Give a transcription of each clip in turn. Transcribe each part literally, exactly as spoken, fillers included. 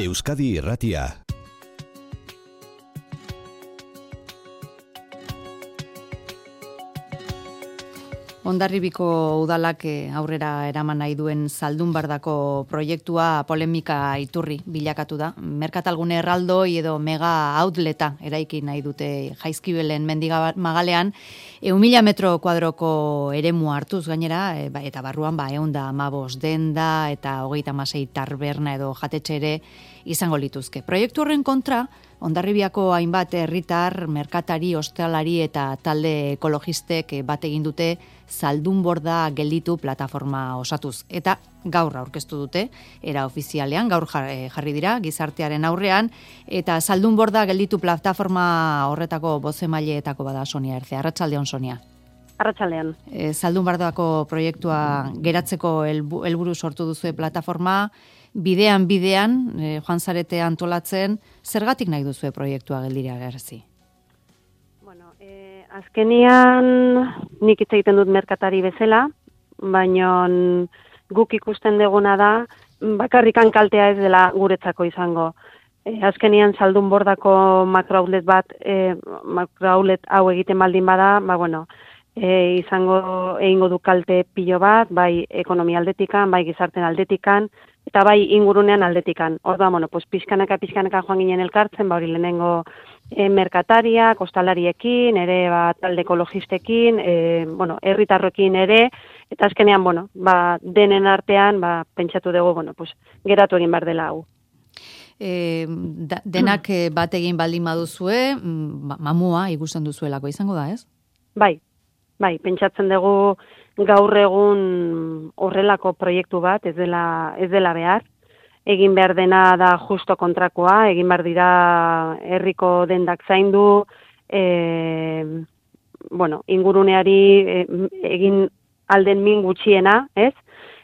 Euskadi Irratia. Hondarribiko udalak aurrera eraman nahi duen Zaldunbardako proiektua polemika iturri bilakatu da. Merkatalgune erraldoi edo mega outleta eraiki nahi dute Jaizkibelen mendiga magalean, ehun mila metro kuadroko eremu hartuz gainera, eta barruan ba ehun eta hamabost denda eta hogeita hamasei taberna edo jatetxe ere izango lituzke. Proiektu horren kontra, Hondarribiako hainbat herritar, merkatari, ostalari eta talde ekologistek bat egin dute Zaldunborda gelditu plataforma osatuz. Eta gaur aurkeztu dute, era ofizialean, gaur jarri dira, gizartearen aurrean, eta Zaldunborda gelditu plataforma horretako bozemaileetako bada Sonia Erce. Arratsaldeon, Sonia. Arratsaldean. E, Zaldunbardako proiektua geratzeko helburu sortu duzue plataforma, bidean bidean, e, joan zarete antolatzen, zergatik nahi duzue proiektua geldira gerzi? Bueno, eh, azkenian nik hitz egiten dut merkatari bezala, baina guk ikusten deguna da, bakarrikan kaltea ez dela guretzako izango. E, azkenian Zaldunbordako makroaulet bat, e, makroaulet hau egiten baldin bada, ba bueno, e, izango egingo du kalte pilo bat, bai ekonomia aldetikan, bai gizarten aldetikan, eta bai ingurunean aldetikan. Orduan, bueno, pues pizkanaka pizkanaka joan ginen elkartzen, ba hori lehenengo e, merkataria, kostalariekin, ere ba talde ekologistekin, e, bueno, herritarrekin ere, eta azkenean, bueno, ba denen artean, ba pentsatu dugu, bueno, pues geratu egin behar dela hau. E, da, denak bat egin baldin baduzue, mamua ikusten duzuelako izango da, ez? Bai. Bai, pentsatzen dugu gaur egun horrelako proiektu bat ez dela ez dela behar. Egin behar dena da justo kontrakoa, egin behar dira herriko dendak zaindu, e, bueno, inguruneari e, egin alden min gutxiena, ez?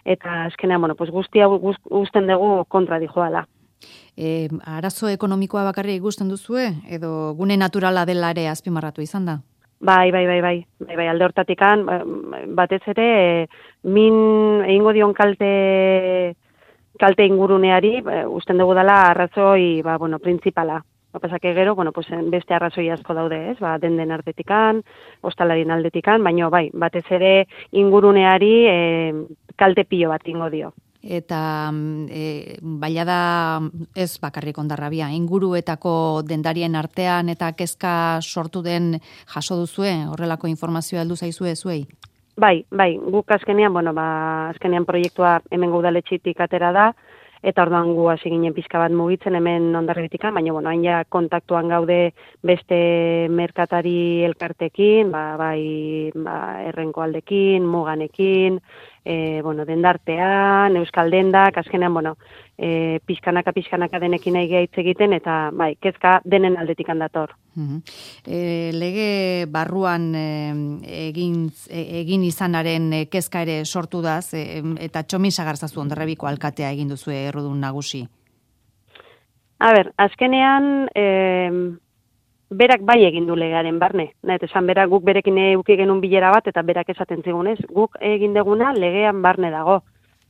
Eta azkenean, bueno, pues guztia guzten dugu kontra dijoala. E, arazo ekonomikoa bakarrik ikusten duzue edo gune naturala dela ere azpimarratu izan da? Bai, bai, bai, bai, bai, bai, alde hortatikan, batez ere, e, min egingo dion kalte, kalte inguruneari, e, usten dugu dela arrazoi, ba, bueno, principala. Bapasake gero, bueno, pues, beste arrazoi asko daude, ez, ba, den den ardetikan, ostalarien aldetikan, baina, bai, batez ere inguruneari e, kalte pilo bat ingo dio. Eta e, baila da ez bakarrik Hondarribia, inguruetako dendarien artean eta kezka sortu den jaso duzue, horrelako informazioa heldu zaizue zuei? Bai, bai, guk azkenean, bueno, ba, azkenean proiektua hemen udaletxitik atera da, eta orduan gu hasi ginen pizka bat mugitzen hemen Hondarribitik, baina bueno, hain ja kontaktuan gaude beste merkatari elkartekin, ba, bai, ba, errenko aldekin, muganekin, e, bueno, dendartean, euskal dendak, azkenean, bueno, e, pizkanaka, pizkanaka denekin nahi hitz egiten, eta bai, kezka denen aldetik handator. Uh-huh. E, lege barruan e, egin, e, egin izanaren e, kezka ere sortu daz, e, eta Txomin Sagarzazu Hondarribiko alkatea egin duzue errudun nagusi. A ber, azkenean, e, berak bai egin du legearen barne. Nahet, esan berak guk berekin euki genuen bilera bat, eta berak esaten zigunez, guk egin deguna legean barne dago.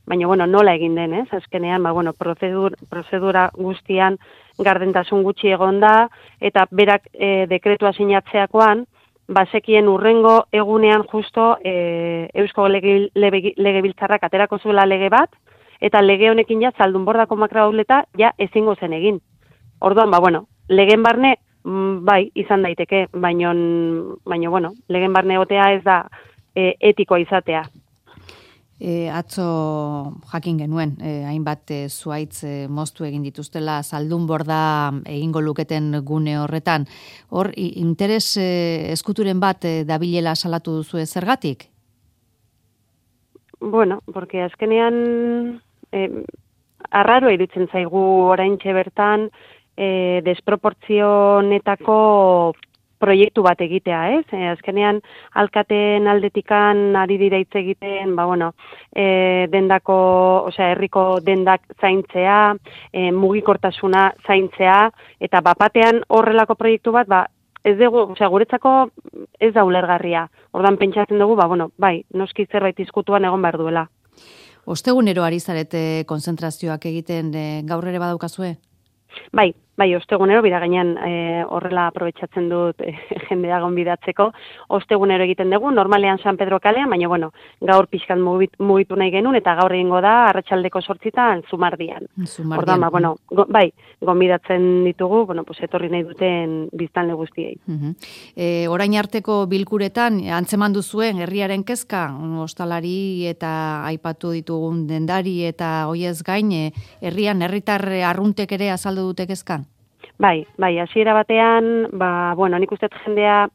Baina, bueno, nola egin den, ez? Azkenean, ba, bueno, prozedur, prozedura guztian gardentasun gutxi egon da, eta berak e, dekretua sinatzeakoan, bazekien urrengo egunean justo e, Eusko lege, lege, Legebiltzarrak aterako zuela lege bat, eta lege honekin ja Zaldunbordako makroauleta ja ezingo zen egin. Orduan, ba, bueno, legen barne, bai, izan daiteke, baina, baina bueno, legen barne egotea ez da e, etikoa izatea. E, atzo jakin genuen, e, hainbat e, zuaitz e, moztu egin dituztela Zaldunborda egingo luketen gune horretan. Hor, interes e, eskuturen bat e, dabilela salatu duzu zergatik? Bueno, porque azkenean e, arraro irutzen zaigu oraintxe bertan e, desproportzionetako proiektu bat egitea, ez? E, azkenean, alkateen aldetikan ari dira hitz egiten, ba, bueno, e, dendako, osea, herriko dendak zaintzea, e, mugikortasuna zaintzea, eta bapatean horrelako proiektu bat, ba, ez dugu, osea, guretzako ez da ulergarria. Ordan pentsatzen dugu, ba, bueno, bai, noski zerbait izkutuan egon behar duela. Ostegunero ari zarete konzentrazioak egiten, e, gaur ere badaukazue? Bai, bai, ostegunero, bira gainean e, horrela aprobetxatzen dut e, jendea gonbidatzeko, ostegunero egiten dugu, normalean San Pedro kalean, baina bueno, gaur pixkat mugitu nahi genuen, eta gaur egingo da, arratsaldeko sortzitan, Zumardian. Ordan, ba, bueno, go, bai, gonbidatzen ditugu, bueno, pues, etorri nahi duten biztanle guztiei. Uh-huh. E, orain arteko bilkuretan, antzeman duzuen, herriaren kezka, ostalari eta aipatu ditugun dendari eta hoiez gain, herrian, herritar arruntek ere azaldu dute kezka? Bai, bai, hasiera batean, ba, bueno, nik uste jendea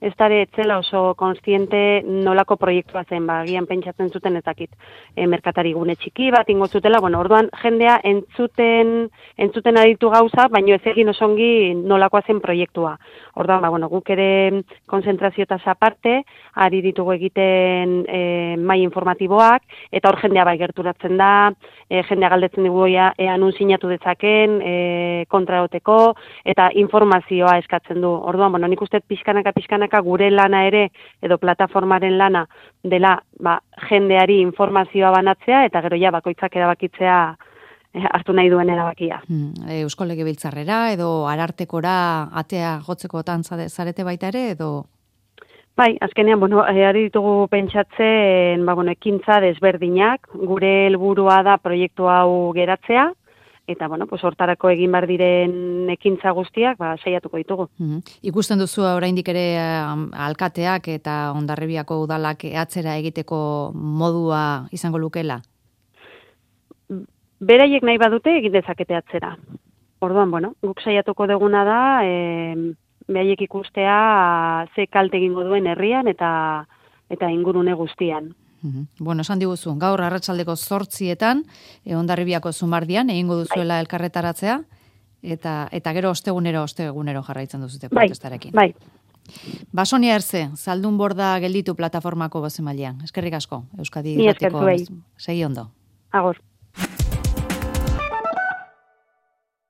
ez dara etzela oso konstiente nolako proiektua zen, ba, gian pentsatzen zuten ezakit, e, merkatari gune txiki bat ingo zutela, bueno, orduan jendea entzuten, entzuten aditu gauza, baino ez egin osongi nolakoa zen proiektua. Orduan, ba, bueno, guk ere konzentrazioetaz aparte, ari ditugu egiten e, mai informatiboak, eta hor jendea bai gerturatzen da, e, jendea galdetzen dugu ea, ea nun sinatu dezaken, e, kontraoteko, eta informazioa eskatzen du. Orduan, bueno, nik uste pixkanaka pixkanaka gure lana ere, edo plataformaren lana dela, ba, jendeari informazioa banatzea, eta gero ja bakoitzak erabakitzea eh, hartu nahi duen erabakia. Hmm, Eusko Legebiltzarrera, edo Arartekora atea gotzekotan zarete baita ere, edo... Bai, azkenean, bueno, ari ditugu pentsatzen, ba, bueno, ekintza desberdinak, gure helburua da proiektu hau geratzea, eta, bueno, pues hortarako egin bar diren ekintza guztiak, ba, saiatuko ditugu. Mm-hmm. Ikusten duzu oraindik ere um, alkateak eta Hondarribiako udalak atzera egiteko modua izango lukela? Beraiek nahi badute egin dezakete atzera. Orduan, bueno, guk saiatuko duguna da, e, beraiek ikustea ze kalte egingo duen herrian eta eta ingurune guztian. Mm-hmm. Bueno, esan diguzu, gaur arratsaldeko zortzietan, e, Hondarribiako Zumardian, egingo duzuela bai. Elkarretaratzea, eta eta gero ostegunero, ostegunero jarraitzen duzute protestarekin. Bai, bai. Ba, Sonia Erze, Zaldunborda gelditu plataformako bozemailean. Eskerrik asko, Euskadi Ni eskertu Segi ondo. Agor.